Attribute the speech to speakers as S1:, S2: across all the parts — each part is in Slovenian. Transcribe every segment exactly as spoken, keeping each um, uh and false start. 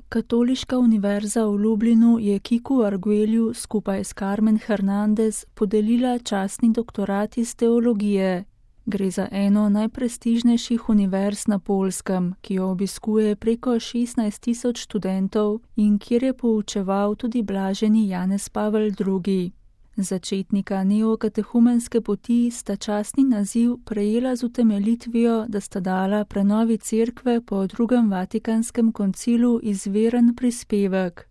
S1: Katoliška univerza v Lublinu je Kiku Arguellju skupaj s Carmen Hernandez podelila častni doktorat iz teologije. Gre za eno najprestižnejših univerz na Poljskem, ki jo obiskuje preko šestnajst tisoč študentov in kjer je poučeval tudi blaženi Janez Pavel drugi. Začetnika neokatehumenske poti sta častni naziv prejela z utemeljitvijo, da sta dala prenovi cerkve po drugem Vatikanskem koncilu izveren prispevek.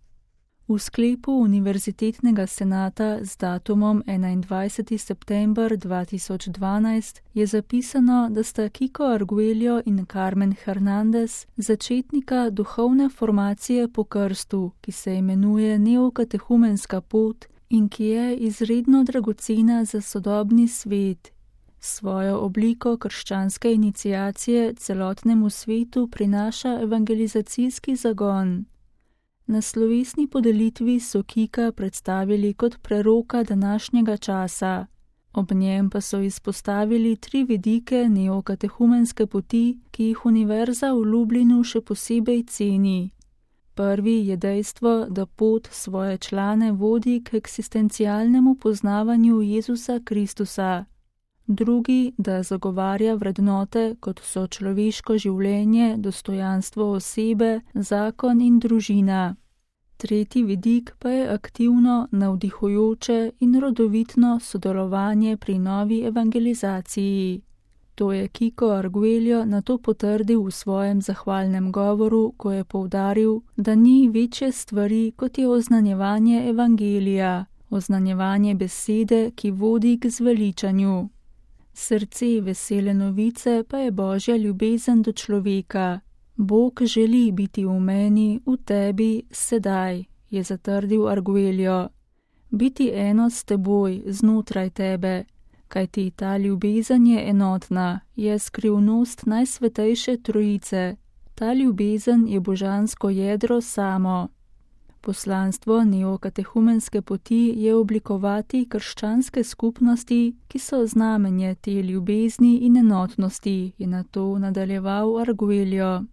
S1: V sklepu Univerzitetnega senata z datumom enaindvajseti september dva tisoč dvanajst je zapisano, da sta Kiko Arguelljo in Carmen Hernandez začetnika duhovne formacije po krstu, ki se imenuje neokatehumenska pot in ki je izredno dragocena za sodobni svet. Svojo obliko krščanske iniciacije celotnemu svetu prinaša evangelizacijski zagon. Na slovesni podelitvi so Kika predstavili kot preroka današnjega časa. Ob njem pa so izpostavili tri vidike neokatehumenske poti, ki jih univerza v Lublinu še posebej ceni. Prvi je dejstvo, da pot svoje člane vodi k eksistencialnemu poznavanju Jezusa Kristusa. Drugi, da zagovarja vrednote, kot so človeško življenje, dostojanstvo osebe, zakon in družina. Tretji vidik pa je aktivno, navdihujoče in rodovitno sodelovanje pri novi evangelizaciji. To je Kiko Arguelljo nato potrdil v svojem zahvalnem govoru, ko je poudaril, da ni večje stvari, kot je oznanjevanje evangelija, oznanjevanje besede, ki vodi k zveličanju. Srce vesele novice pa je Božja ljubezen do človeka. Bog želi biti v meni, v tebi, sedaj, je zatrdil Arguelljo. Biti eno s teboj, znotraj tebe. Kajti ta ljubezen je enotna, je skrivnost najsvetejše trojice. Ta ljubezen je božansko jedro samo. Poslanstvo neokatehumenske poti je oblikovati krščanske skupnosti, ki so znamenje te ljubezni in enotnosti, je nato nadaljeval Arguelljo.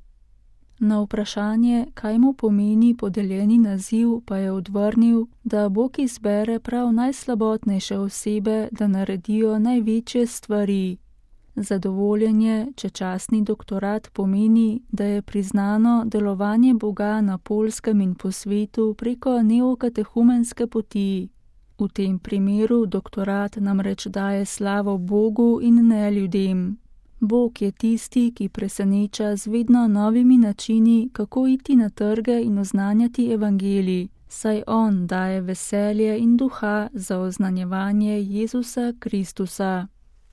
S1: Na vprašanje, kaj mu pomeni podeljeni naziv, pa je odvrnil, da Bog izbere prav najslabotnejše osebe, da naredijo največje stvari. Zadovoljenje, če častni doktorat pomeni, da je priznano delovanje Boga na Poljskem in po svetu preko neokatehumenske poti. V tem primeru doktorat namreč daje slavo Bogu in ne ljudem. Bog je tisti, ki preseneča z vedno novimi načini, kako iti na trge in oznanjati evangelij, saj on daje veselje in duha za oznanjevanje Jezusa Kristusa.